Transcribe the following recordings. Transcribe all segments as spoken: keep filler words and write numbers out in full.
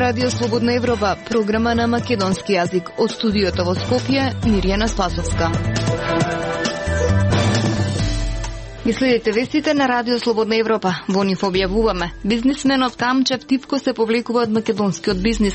Радио Слободна Европа, програма на македонски јазик. Од студиото во Скопје, Мирјана Спасовска. Ги следите вестите на Радио Слободна Европа. Во нив објавуваме: бизнисменот Камчев Тивко се повлекува од македонскиот бизнис.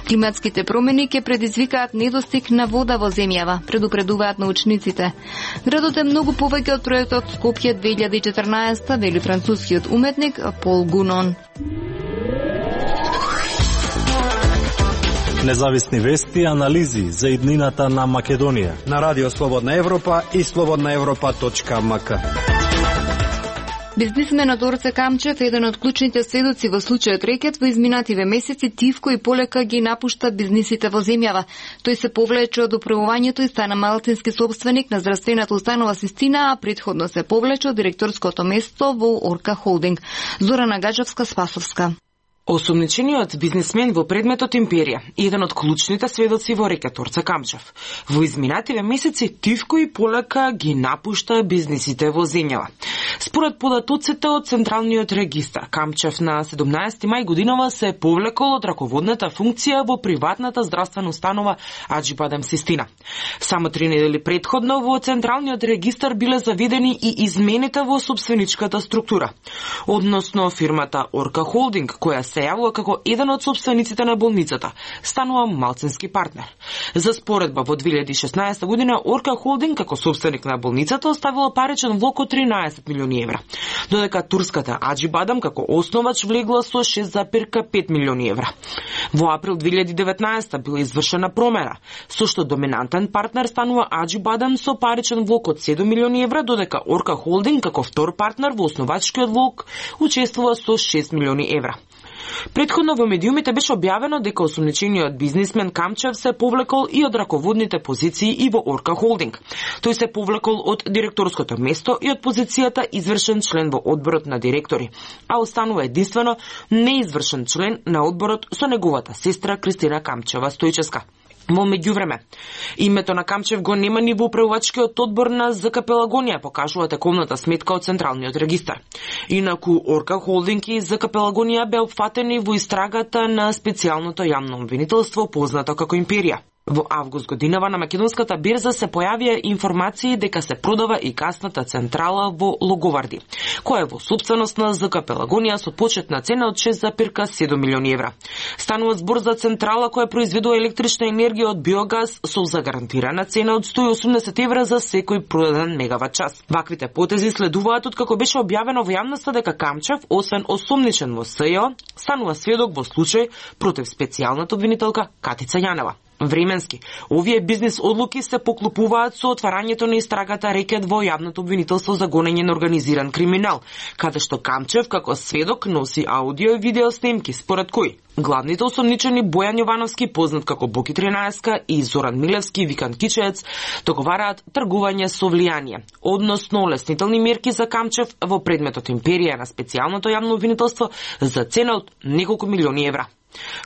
Климатските промени ќе предизвикаат недостиг на вода во земјава, предупредуваат научниците. Градот е многу повеќе од проектот Скопје две илјади и четрнаесета, вели францускиот уметник Пол Гунон. Независни вести и анализи за иднината на Македонија на Радио Слободна Европа и слободна европа точка ем ка. Бизнисменот Орце Камчев, еден од клучните сведоци во случајот рекет, во изминативе месеци тивко и полека ги напушта бизнисите во земјава. Тој се повлече од управувањето и стана малцински собственик на здравствената установа Систина, а претходно се повлече од директорското место во Орка Холдинг. Зорана Гаджевска-Спасовска. Осомничениот бизнисмен во предметот Империја, еден од клучните сведоци во рекет Орце Камчев. Во изминативе месеци тивко и полека ги напушта бизнисите во земјава. Според податоците од Централниот регистар, Камчев на седумнаесети мај годинава се повлекол од раководната функција во приватната здравствена установа Аџибадем Систина. Само три недели претходно во Централниот регистар биле заведени и измените во собственичката структура. Односно фирмата Орка Холдинг, која се јавува како еден од собствениците на болницата, станува малцински партнер. За споредба, во две илјади и шеснаесета година Орка Холдинг како собственик на болницата оставила паричен влог од тринаесет милиони евра, додека турската Аџибадем како основач влегла со шест зарез пет милиони евра. Во април две илјади и деветнаесета била извршена промена, со што доминантен партнер станува Аџибадем со паричен влог од седум милиони евра, додека Орка Холдинг како втор партнер во основачкиот влог учествува со шест милиони евра. Претходно во медиумите беше објавено дека осомничениот бизнисмен Камчев се повлекол и од раководните позиции и во Орка Холдинг. Тој се повлекол од директорското место и од позицијата извршен член во одборот на директори, а останува единствено неизвршен член на одборот со неговата сестра Кристина Камчева Стојчевска. Во меѓувреме, името на Камчев го нема ни во управувачкиот одбор на ЗК Пелагонија, покажува тековната сметка од Централниот регистар. Инаку Орка Холдинг и ЗК Пелагонија беа опфатени во истрагата на специјалното јавно обвинителство познато како Империја. Во август годинава на македонската берза се појавија информации дека се продава и гасната централа во Логоварди, која е во собственост на ЗК Пелагонија со почетна цена од шест зарез седум милиони евра. Станува збор за централа која произведува електрична енергија од биогаз со загарантирана цена од сто и осумдесет евра за секој продаден мегават час. Ваквите потези следуваат од како беше објавено во јавноста дека Камчев, освен осомничен во СЈО, станува сведок во случај против специјалната обвинителка Катица Јанева. Временски, овие бизнис одлуки се поклопуваат со отварањето на истрагата рекет во јавното обвинителство за гонење на организиран криминал, каде што Камчев како сведок носи аудио и видео снимки, според кои главните осомничени Бојан Јовановски, познат како Боки тринаесетка, и Зоран Милевски, викан Кичеец, договараат тргување со влијание, односно леснителни мерки за Камчев во предметот Империја на специјалното јавно обвинителство за цена од неколку милиони евра.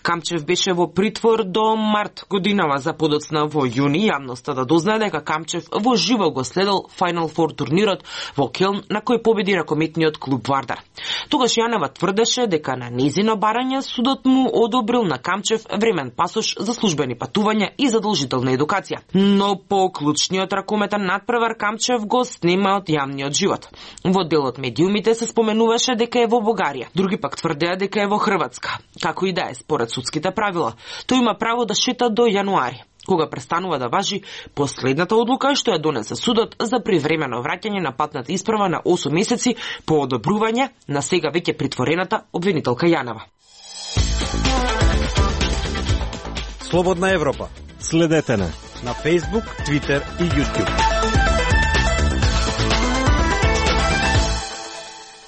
Камчев беше во притвор до март годинава, за подоцна во јуни јавноста да дознае дека Камчев во живо го следел Final Four турнирот во Келн на кој победи ракометниот клуб Вардар. Тогаш Јанева тврдеше дека на незино барање судот му одобрил на Камчев времен пасош за службени патувања и задолжителна едукација. Но по клучниот ракометен надпревар Камчев го снема од јавниот живот. Во делот медиумите се споменуваше дека е во Бугарија, други пак тврдеа дека е во Хрватска. Како и да е, според судските правила, тој има право да шета до јануари, кога престанува да важи последната одлука што ја донесе судот за привремено враќање на патната исправа на осум месеци по одобрување на сега веќе притворената обвинителка Јанева. Слободна Европа. Следете не на Facebook, Twitter и YouTube.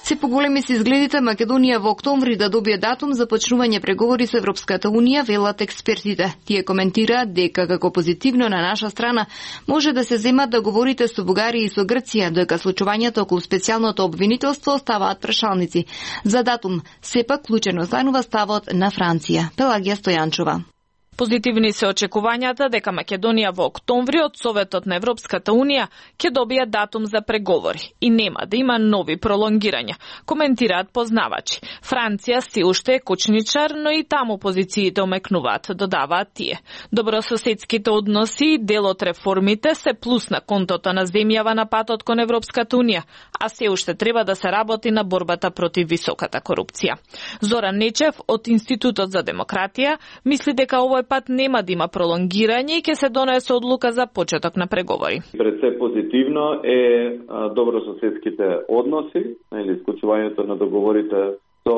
Се поголеми се изгледите Македонија во октомври да добие датум за почнување преговори со Европската Унија, велат експертите. Тие коментираат дека како позитивно на наша страна може да се земат договорите со Бугарија и со Грција, дека случувањето околу специјалното обвинителство оставаат прашалници. За датум сепак клучен останува ставот на Франција. Пелагија Стојанчова. Позитивни се очекувањата дека Македонија во октомври од Советот на Европската Унија ќе добие датум за преговори и нема да има нови пролонгирања, коментираат познавачи. Франција си уште е кучничар, но и таму позициите омекнуваат, додаваат тие. Добрососедските односи и дел од реформите се плюс на контото на земјава на патот кон Европската Унија, а се уште треба да се работи на борбата против високата корупција. Зоран Нечев од Институтот за демократија мисли дека овој пат нема да има пролонгирање и ќе се донесе одлука за почеток на преговори. Пред се позитивно е добрососедските односи, или исклучувањето на договорите со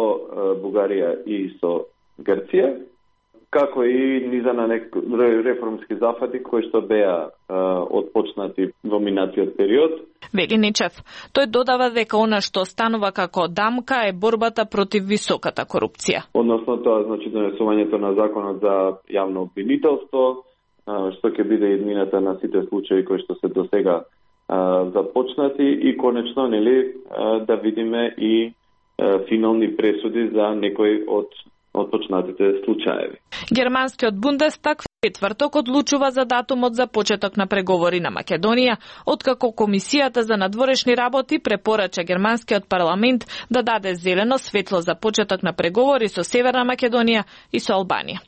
Бугарија и со Грција, како и низа на нек... реформски зафати кои што беа отпочнати во минатиот период. Вели Нечев. Тој додава дека она што станува како дамка е борбата против високата корупција. Односно тоа значи донесувањето на законот за јавно обвинителство, што ќе биде иднината на сите случаи кои што се досега започнати и конечно нели да видиме и финални пресуди за некои од отпочнатите случаеви. Германскиот Бундестаг четврток одлучува за датумот за почеток на преговори на Македонија, откако Комисијата за надворешни работи препорача германскиот парламент да даде зелено светло за почеток на преговори со Северна Македонија и со Албанија.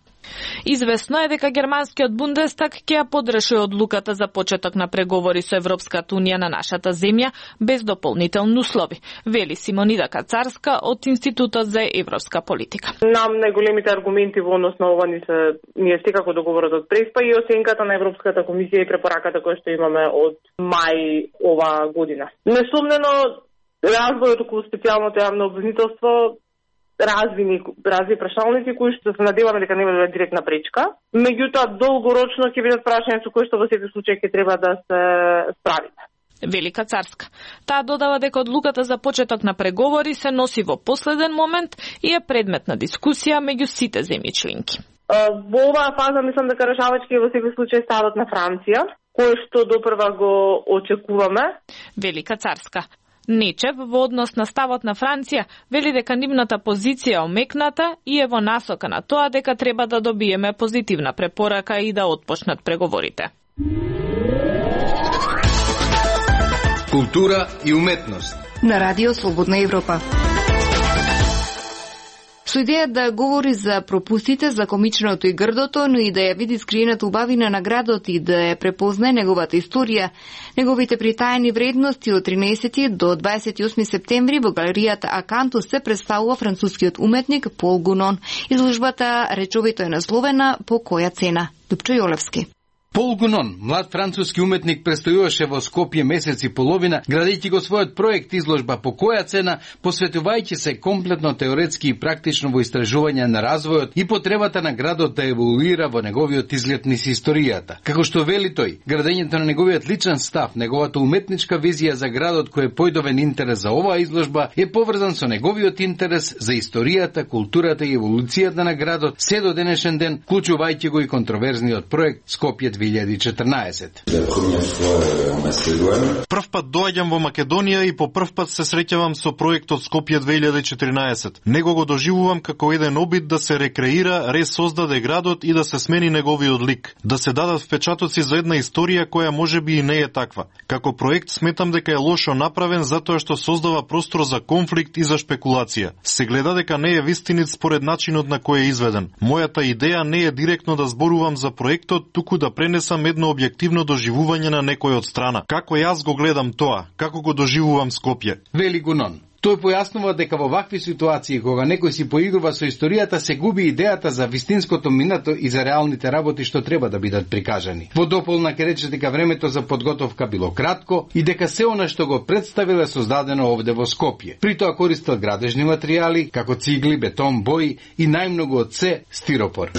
Известно е дека германскиот Бундестаг ќе ја подрши одлуката за почеток на преговори со Европската Унија на нашата земја без дополнителни услови, вели Симонида Кацарска од Институтот за европска политика. Нам најголемите аргументи во однос на ова ни се ние секако договорот од Преспа и оценката на Европската комисија и препораката која што имаме од мај ова година. Несумнено развојот околу специјалното јавно обвинителство развини разви прашалници кои што се надеваме дека нема да биде директна пречка. Меѓутоа долгорочно ќе бидат прашања со кои што во секој случај ќе треба да се справиме. Велика Царска. Таа додава дека одлуката за почеток на преговори се носи во последен момент и е предмет на дискусија меѓу сите земји членки. Во оваа фаза мислам дека решавачки е во секој случај ставот на Франција, кој што допрва го очекуваме. Велика Царска. Нечев во однос на ставот на Франција вели дека нивната позиција е омекната и е во насока на тоа дека треба да добиеме позитивна препорака и да отпочнат преговорите. Култура и уметност на Радио Слободна Европа. Со идеја да говори за пропустите, за комичното и грдото, но и да ја види скриената убавина на градот и да ја препознае неговата историја, неговите притаени вредности од тринесети до дваесет и осми септември во галеријата Акантус се представува францускиот уметник Пол Гунон. Изложбата речовито е насловена "По која цена?" Дупчо Јолевски. Пол Гунон, млад француски уметник, престојуваше во Скопје месец и половина, градејќи го својот проект изложба "По која цена", посветувајќи се комплетно теоретски и практично во истражување на развојот и потребата на градот да еволуира во неговиот изглед низ историјата. Како што вели тој, градењето на неговиот личен став, неговата уметничка визија за градот кој е појдовен интерес за оваа изложба е поврзан со неговиот интерес за историјата, културата и еволуцијата на градот се до денешен ден, вклучувајќи го и контроверзниот проект Скопје две илјади и четрнаесет. Прв пат доаѓам во Македонија и по прв пат се среќавам со проектот Скопје две илјади и четрнаесет. Него го доживувам како еден обид да се рекреира, ресоздаде градот и да се смени неговиот лик, да се дадат впечатоци за една историја која можеби и не е таква. Како проект сметам дека е лошо направен затоа што создава простор за конфликт и за шпекулација. Се гледа дека не е вистинит според начинот на кој е изведен. Мојата идеја не е директно да зборувам за проектот, туку да пренесам едно објективно доживување на некој од страна. Како јас го гледам тоа, како го доживувам Скопје. Вели Гунон. Тој појаснува дека во вакви ситуации, кога некој си поигрува со историјата, се губи идејата за вистинското минато и за реалните работи што треба да бидат прикажани. Во дополна ќе рече дека времето за подготовка било кратко и дека се она што го представиле создадено овде во Скопје. При тоа користел градежни материјали, како цигли, бетон, бои и најмногу од се стиропор.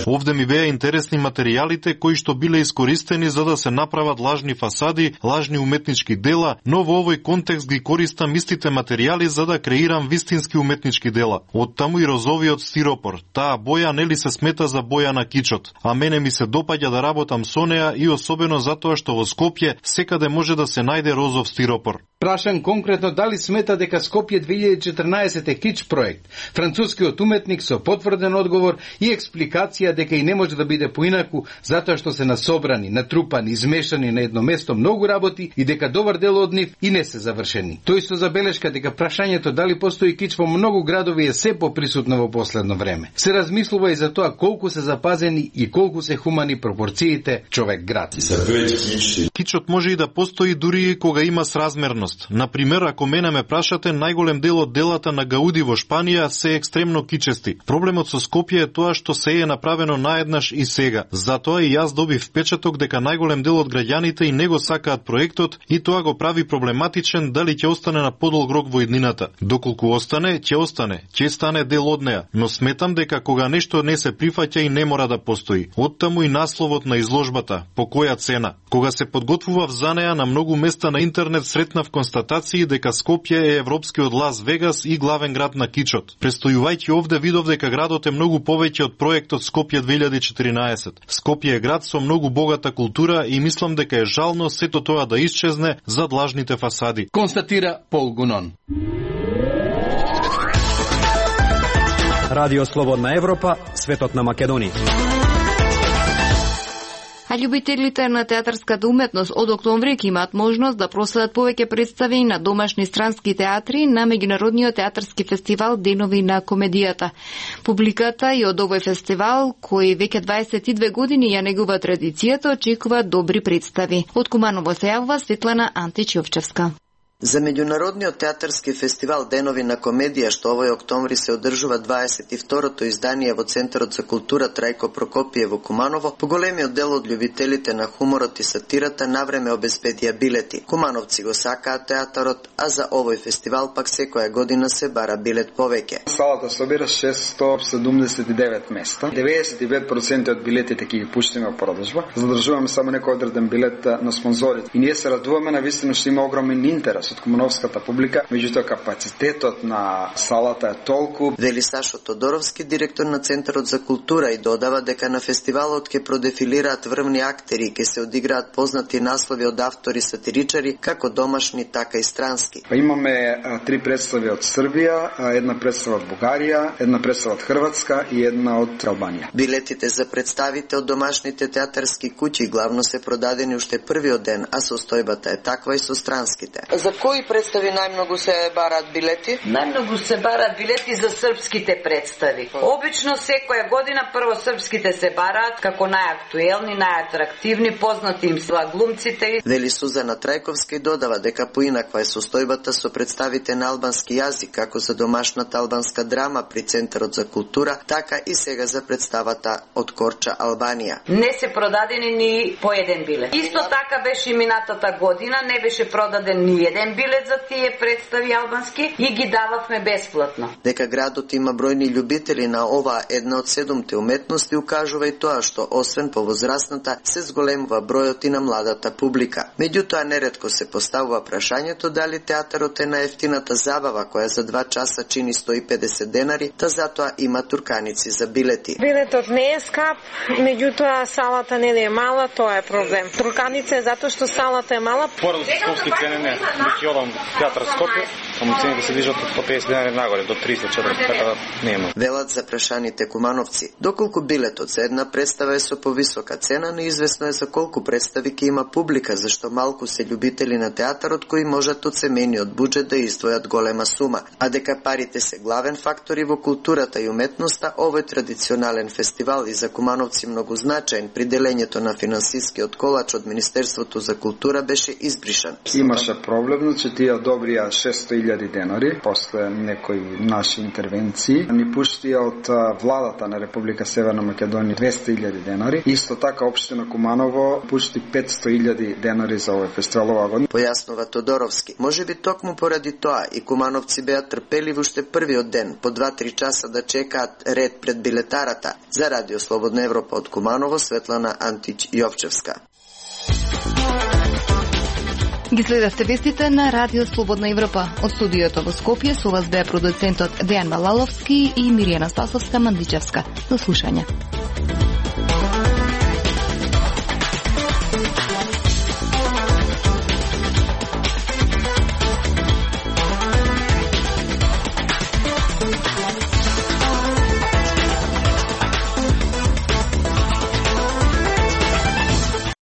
Овде ми беа интересни материјалите кои што биле искористени за да се направат лажни фасади, лажни уметнички дела, но во овој контекст ги користам исти истите материјали за да креирам вистински уметнички дела. Оттаму и розовиот стиропор. Таа боја нели се смета за боја на кичот, а мене ми се допаѓа да работам со неа и особено затоа што во Скопје секаде може да се најде розов стиропор. Прашан конкретно дали смета дека Скопје две илјади и четрнаесет е кич проект, францускиот уметник со потврден одговор и експликација дека и не може да биде поинаку затоа што се насобрани, натрупани, измешани на едно место многу работи и дека добар дел од нив и не се завршени. Тој со забелешка дека прашањето дали постои кич во многу градови е се поприсутно во последно време. Се размислува и за тоа колку се запазени и колку се хумани пропорциите човек-град. Кичот може и да постои дури и кога има сразмерност. Например, ако мене ме прашате, најголем дел од делата на Гауди во Шпанија се екстремно кичести. Проблемот со Скопје е тоа што се е направено наеднаш и сега. Затоа и јас добив впечаток дека најголем дел од граѓаните и не го сакаат проектот и тоа го прави проблематичен дали ќе остане на подолг рок во иднината. Доколку остане, ќе остане, ќе стане дел од неа, но сметам дека кога нешто не се прифаќа и не мора да постои. Оттаму и насловот на изложбата, по која цена. Кога се подготвував за неа на многу места на интернет сретнав констатации дека Скопје е европскиот Лас Вегас и главен град на кичот. Престојувајќи овде видов дека градот е многу повеќе од проектот Скопје две илјади и четиринаесет. Скопје е град со многу богата култура и мислам дека е жално сето тоа да исчезне зад лажните фасади. Констатира Пол Гунон. Радио Слободна Европа, светот на Македонија. А љубителите на театарската уметност од октомври ќе имаат можност да проследат повеќе представи на домашни странски театри на меѓународниот театарски фестивал Денови на комедијата. Публиката и од овој фестивал, кој веќе дваесет и две години ја негува традицијата, очекува добри представи. Од Куманово се јавува Светлана Антич-Јовчевска. За меѓународниот театарски фестивал Денови на комедија, што овој октомври се одржува дваесет и второто издание во Центарот за култура Трајко Прокопиев во Куманово, поголемиот дел од љубителите на хуморот и сатирата навреме обезбедија билети. Кумановци го сакаат театарот, а за овој фестивал пак секоја година се бара билет повеќе. Салата собира шестстотини седумдесет и девет места. деветдесет и пет проценти од билетите ќе ги пуштиме во продажба. Задржуваме само некој одреден билет на спонзорите. И ние се радуваме на вистина што има огромен интерес од кумановската публика, меѓутоа капацитетот на салата е толку. Вели Сашо Тодоровски, директор на Центарот за култура, и додава дека на фестивалот ќе продефилираат врвни актери и ќе се одиграат познати наслови од автори сатиричари, како домашни, така и странски. Па имаме а, три представи од Србија, а, една представа од Бугарија, една представа од Хрватска и една од Албанија. Билетите за представите од домашните театарски куќи главно се продадени уште првиот ден, а состојбата е таква и со странските. За кои представи најмногу се бараат билети? Најмногу се бараат билети за српските представи. Обично секоја година прво српските се бараат како најактуелни, најатрактивни, познати им се глумците. Вели Сузана Трајковска и додава дека поинаква е состојбата со представите на албански јазик, како за домашната албанска драма при Центарот за култура, така и сега за представата од Корча, Албанија. Не се продадени ни по еден билет. Исто така беше и минатата година, не беше продаден ни еден билет за тие представи албански и ги дававме бесплатно. Дека градот има бројни љубители на оваа една од седумте уметности укажува и тоа што освен по возрастната се зголемува бројот и на младата публика. Меѓутоа неретко се поставува прашањето дали театарот е најефтината забава која за два часа чини сто и педесет денари, та затоа има турканици за билети. Билетот не е скап, меѓутоа салата не е мала, тоа е проблем. Турканица е затоа што салата е мала. Поради скопски цени не. Ќе одам театар Скопје, само цените се движат од по педесет денари нагоре до триста четиристо, така да нема. Велат за прашаните кумановци. Доколку билетот за една представа е со повисока цена, неизвестно е за колку представи ќе има публика, зашто малку се љубители на театарот кои можат од семејниот буџет да издвојат голема сума, а дека парите се главен фактор и во културата и уметноста, овој традиционален фестивал и за кумановци многу значаен при делењето на финансискиот колач од Министерството за култура беше избришан. Имаше проблем, значи тие одобрија шестстотини илјади денари после некои наши интервенции. Ни пуштија од владата на Република Северна Македонија двесте илјади денари. Исто така општина Куманово пушти петсто илјади денари за овој фестивал оваа година. Појаснува Тодоровски. Можеби токму поради тоа и кумановци беа трпеливи уште првиот ден, по два-три часа да чекаат ред пред билетарата. За Радио Слободна Европа од Куманово, Светлана Антич-Јовчевска. Ги следевте вестите на Радио Слободна Европа. Од студиото во Скопје со вас беа продуцентот Дејан Малаловски и Миријана Спасовска Мандичевска. До слушање.